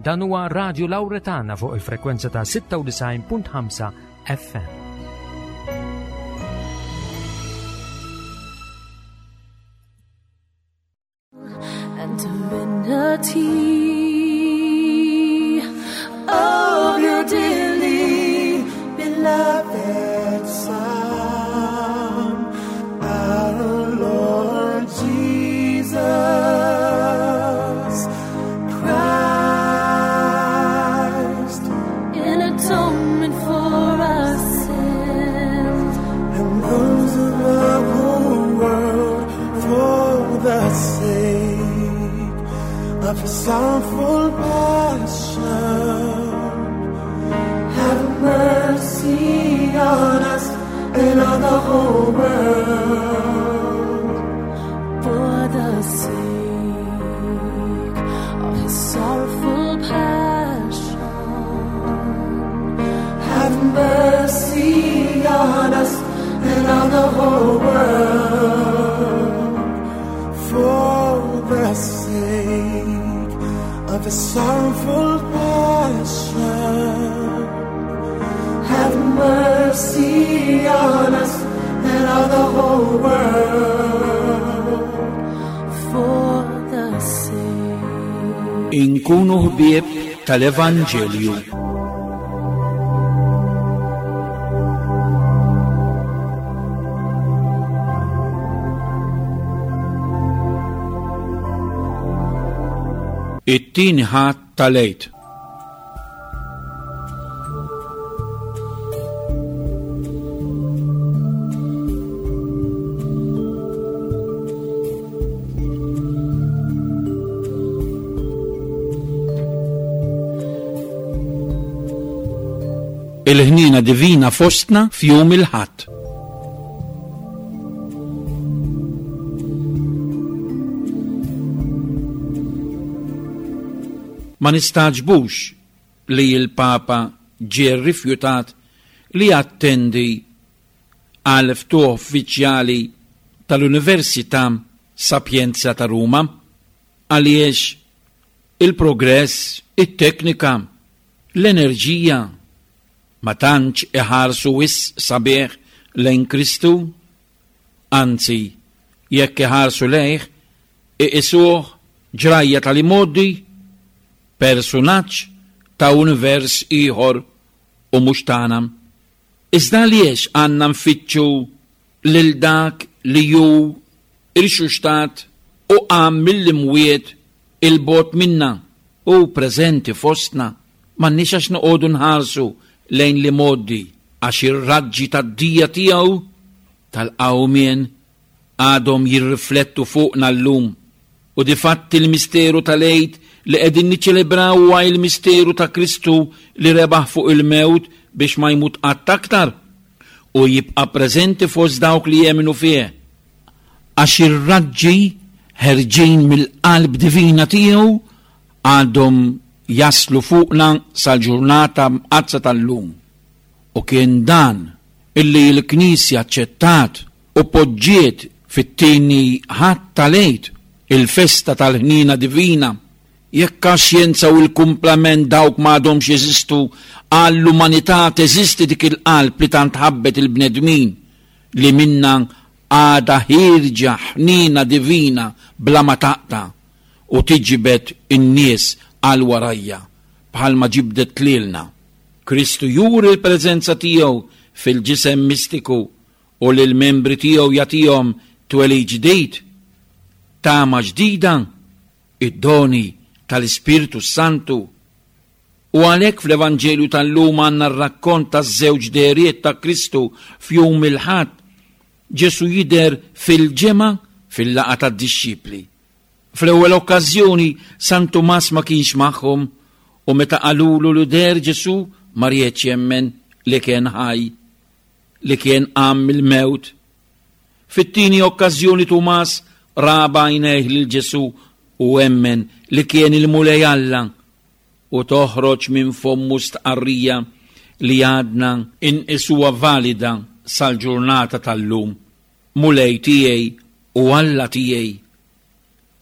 Dan huwa Radio Lauretana fuq il-frekwenza ta' 96.5 FM. And divinity of your dearly beloved Son, our Lord Jesus Christ, in atonement for our sins and those of the whole world for the sake of his sorrowful passion. Have mercy on us and on the whole world. For the sake of his sorrowful passion. Have mercy on us and on the whole world. For the sake of his sorrowful passion. Have mercy on us and on the whole world. For the sake Inkunu ħbieb tal-Evanġelju. It-tieni Ħadd tal-Għid. Il-ħniena divina fostna f'jum il-Ħadd. Ma nistagħġbux li l-Papa ġie rrifjutat li jattendi għal ftuħ uffiċjali tal-Università Sapienza ta' Ruma għaliex il-progress, it-teknika, l-enerġija ma tantx iħarsu wisq sabiħ lejn Kristu. Anzi, jekk iħarsu lejh, iqisuh ġrajja tal-imgħoddi, persunaġġ ta' univers ieħor u mhux tagħna. Iżda għaliex għandna nfittxu lil dak li hu rxuxtat u qam mill-imwiet 'il bogħod minna? Hu preżenti fostna. M'għandniex għax noqogħdu nħarsu lejn l-imgħoddi għax ir-raġġi tad-dija tiegħu tal-qawmien għadhom jirriflettu fuqna llum. U difatti l-misteru tal-Għid li qegħdin niċċelebraw huwa il-misteru ta' Kristu li rebaħ fuq il-mewt biex ma jmut qatt aktar u jibqa' preżenti fost dawk li jemmnu fih. Għax ir-raġġi ħerġin mill-qalb divina tiegħu għadhom jaslu fuqna sal-ġurnata mqaddsa tal-lum. U kien dan illi l-Knisja aċċettat u poġġiet fit-tieni Ħadd tal-Għid, il-festa tal-Ħniena Divina. Jekk għax-xjenza u l-kumplament dawk ma għadhomx jeżistu, għall-umanità teżisti dik il-qalb li tant ħabbet il-bnedmin, li minnha għadha ħierġa ħniena divina bla ma taqta' u tiġbed in-nies għal warajja, bħalma ġibdet lilna. Kristu juri l-preżenza tiegħu fil-ġisem mistiku u lill-membri tiegħu jagħtihom twelid ġdid, tama ġdida, id-doni tal-Ispirtu s-Santu. U għalhekk fl-Evanġelju tal-lum għandna r-rakkont taż-żewġ dehriet ta' Kristu f'jum il-Ħadd. Ġesù jidher fil-ġemgħa fil-laqgħa tad-dixxipli. Fl-ewwel okkażjoni San Tumas ma kienx magħhom u meta qalulu li deher Ġesù ma riedx jemmen li kien ħaj. li kien qam mill-mewt. Fit-tieni okkażjoni Tumas ra b'għajnejh lil Ġesù u emmen li kien il-Mulej Alla u toħroġ minn fommu stqarrija li għadna inqisuha valida sal-ġurnata tal-lum, Mulej tiegħi u Alla tiegħi.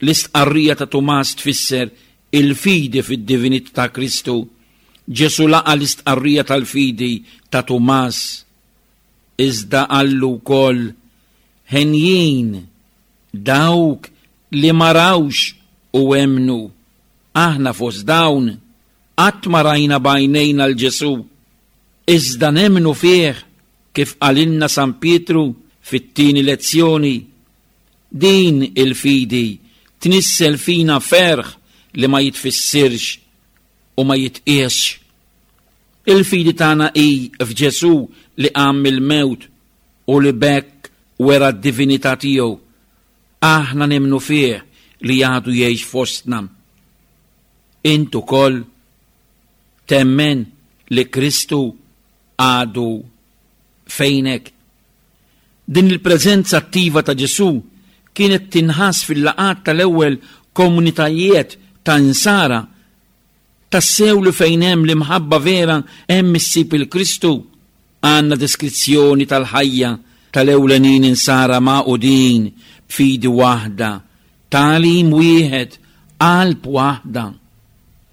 L-istqarrija ta' Tumas tfisser il-fidi fid-divinità ta' Kristu, Ġesù laqa' l-istqarrija tal-fidi ta' Tumas, iżda qallu wkoll, Henjin dawk li ma rawx u emmnu. Aħna fost dawn qatt ma rajna b'għajnejna 'l Ġesù, iżda nemmnu fih kif qalilna San Pietru fit-tieni lezzjoni. Din il-fidi tnissel fina ferħ li ma jitfissirx u ma jitqiesx. Il-fidi tagħna hi f'Ġesù li qam mill-mewt u li b'hekk wera d-divinità tiegħu. Aħna nemmnu fih li għadu jgħix fostna. Int ukoll temmen li Kristu għadu fejnek? Din il-preżenza attiva ta' Ġesù kienet tinħass fil-laqgħat tal-ewwel komunitajiet ta' Insara. Tassew li fejn hemm l-imħabba vera hemm issib il-Kristu. Għandna deskrizzjoni tal-ħajja tal-ewlenin Insara magħqudin b'fidi waħda, tagħlim wieħed, qalb waħda.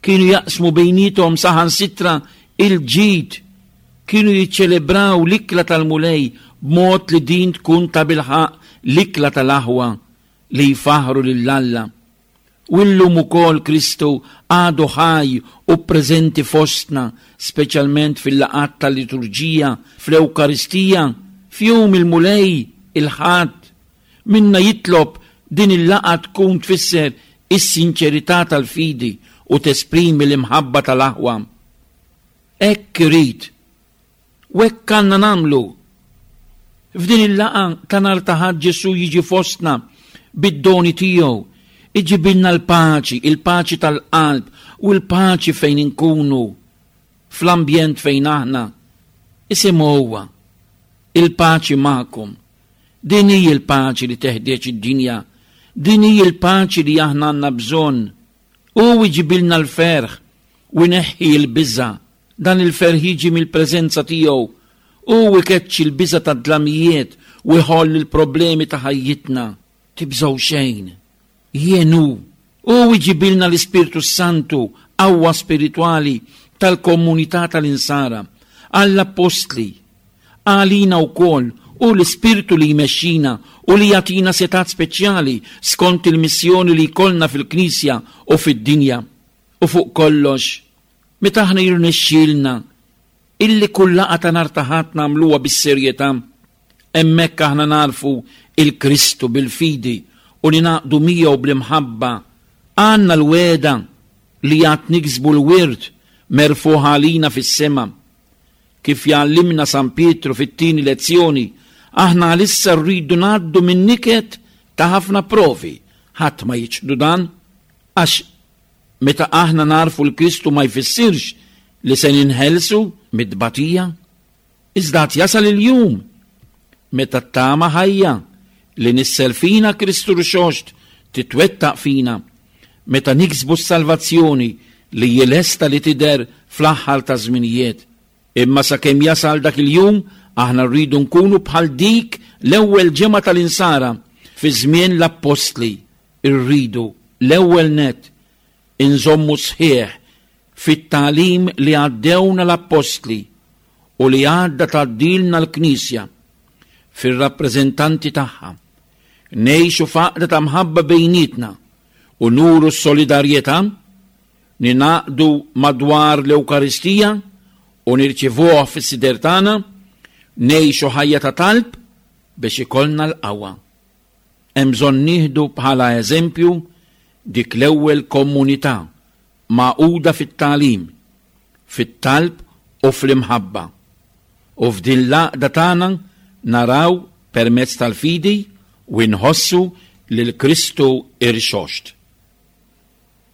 Kienu jaqsmu bejniethom saħansitra il-ġid. Kienu jiċċelebraw l-ikla tal-Mulej b'mod li din tkun tabilħaqq l-ikla tal-aħwa li jfaħħru lil Alla. U llum ukoll Kristu għadu ħaj u preżenti fostna, speċjalment fil-laqgħat tal-liturġija, fl-Ewkaristija, f'Jum il-Mulej, il-Ħadd. Minna jitlob din il-laqgħa tkun tfisser is-sinċerità tal-fidi u tesprimi l-imħabba tal-aħwa. Hekk irid u hekk għandna nagħmlu. F'din il-laqgħa ta' nhar ta' Ħadd Ġesù jiġi fostna bid-doni tiegħu, iġibilna l-paċi, il-paċi tal-qalb u l-paċi fejn inkunu, fl-ambjent fejn aħna. Isimgħu huwa, il-paċi magħkom. Din hi l-paċi li teħtieġ id-dinja. Din hi l-paċi li aħna għandna bżonn. Hu jġibilna l-ferħ u jneħħi l-biża'. Dan il-ferħ jiġi mill-preżenza tiegħu. Hu jkeċċi l-biża' tad-dlamijiet u jħoll il-problemi ta' ħajjitna. Tibżgħu xejn. Jien hu. Hu jġibilna l-Ispirtu s-Santu, qawwa spiritwali tal-komunità tal-Insara, għall-appostli, għalina wkoll, hu l-Ispirtu li jmexxina u li jagħtina setgħat speċjali skont il-missjoni li jkollna fil-Knisja u fid-dinja. U fuq kollox, meta aħna jirnexxielna illi kull laqgħa ta' nhar ta' Ħadd nagħmluha bis-serjetà, Hemmhekk aħna nagħrfu 'l Kristu bil-fidi u ningħaqdu miegħu bl-imħabba. Għandna l-wegħda li għad niksbu l-wirt merfugħ għalina fis-sema. Kif jgħallimna San Pietru fit-tieni lezzjoni, aħna għalissa rridu ngħaddu min-niket ta' ħafna provi. Ħadd ma jiċħdu dan, għax meta aħna nagħrfu 'l Kristu ma jfissirx li se ninħelsu mit-tbatija. Iżda għad jasal il-jum meta t-tama ħajja li nissel fina Kristu Rxoxt titwettaq fina, meta niksbu s-salvazzjoni li hi lesta li tidher fl-aħħar taż-żminijiet. Imma sakemm jasal dak il-jum, aħna rridu nkunu bħal dik l-ewwel ġemgħa tal-Insara fi żmien l-Appostli, irridu, l-ewwel nett, inżommu sħiħ fit-tagħlim li għaddewna l-Appostli u li għadha tgħaddilna l-Knisja fir-rappreżentanti tagħha. Ngħixu f'għaqda ta' mħabba bejnietna u nuru s-solidarjetà, ningħaqdu madwar l-Ewkaristija u nirċivuh fis-sider tagħna, ngħixu ħajja ta' talb biex ikollna l-qawwa. Hemm bżonn nieħdu bħala eżempju dik l-ewwel komunità magħquda fit-tagħlim, fit-talb u fl-imħabba. U f'din l-għaqda tagħna naraw permezz tal-fidi u nħossu lil Kristu Irxoxt.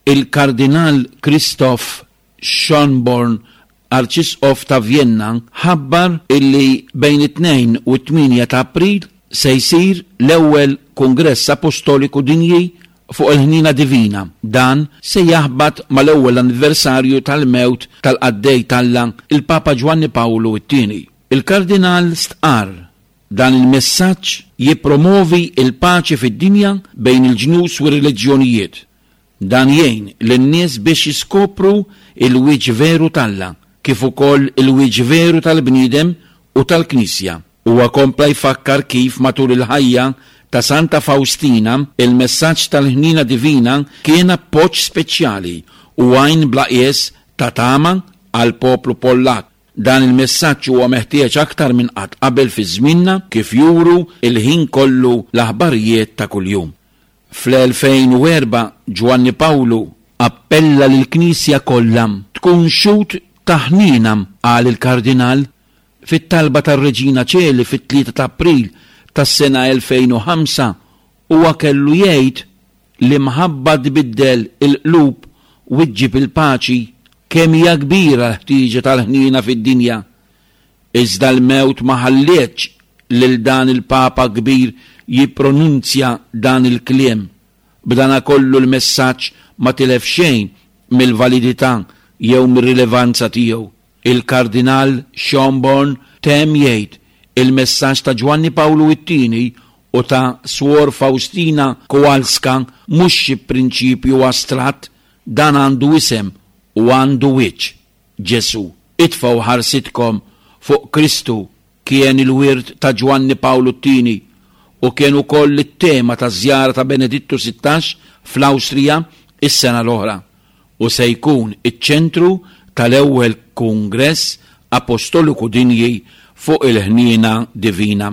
Il-Kardinal Christoph Schönborn, Arċisqof ta' Vjenna, ħabbar illi bejn it-Tnejn u t-Tmienja ta' April se jsir l-ewwel Kungress Apostoliku Dinji fuq il-Ħniena Divina. Dan se jaħbat mal-ewwel anniversarju tal-mewt tal-Qaddej t'Alla, il-Papa Ġwanni Pawlu t-Tieni. Il-Kardinal stqarr, Dan il-messaġġ jippromovi l-paċi fid-dinja bejn il-ġnus u r-reliġjonijiet. Dan jgħin lin-nies biex jiskopru l-wiċċ veru t'Alla, kif ukoll il-wiċċ veru tal-bniedem u tal-Knisja. Huwa kompla jfakkar kif matul il-ħajja ta' Santa Fawstina, il-messaġġ tal-ħniena divina kien appoġġ speċjali u għajn bla qies ta' tama għall-poplu Pollakk. Dan il-messaġġ huwa meħtieġ aktar minn qatt qabel fi żmienna kif juru l-ħin kollu l-aħbarijiet ta' kuljum. Fl-2004 Ġwanni Pawlu appella lill-Knisja kollha tkun xhud ta' ħniena, qal il-Kardinal. Fit-talba tar-Reġina Ċeli fit-3 ta' April tas-sena 2005 huwa kellu jgħid L-imħabba tbiddel il-qlub u ġġib il-paċi. Kemm hija kbira l-ħtieġa tal-ħniena fid-dinja! Iżda l-mewt ma ħallietx lil dan il-Papa kbir jippronunzja dan il-kliem. B'danakollu l-messaġġ ma tilef xejn mill-validità jew mir-rilevanza tiegħu. Il-Kardinal Schönborn temm jgħid, Il-messaġġ ta' Ġwanni Pawlu it-Tieni u ta' Swor Faustina Kowalska mhux xi prinċipju astratt, dan għandu isem u għandu wiċċ, Ġesù. Itfgħu ħarsitkom fuq Kristu kien il-wirt ta' Ġwanni Pawlu t-Tieni u kien ukoll it-tema taż-żjara ta' Benedittu 16 fl-Awstrija s-sena l-oħra u se jkun iċ-ċentru tal-ewwel Kungress Apostoliku Dinji fuq il-Ħniena Divina.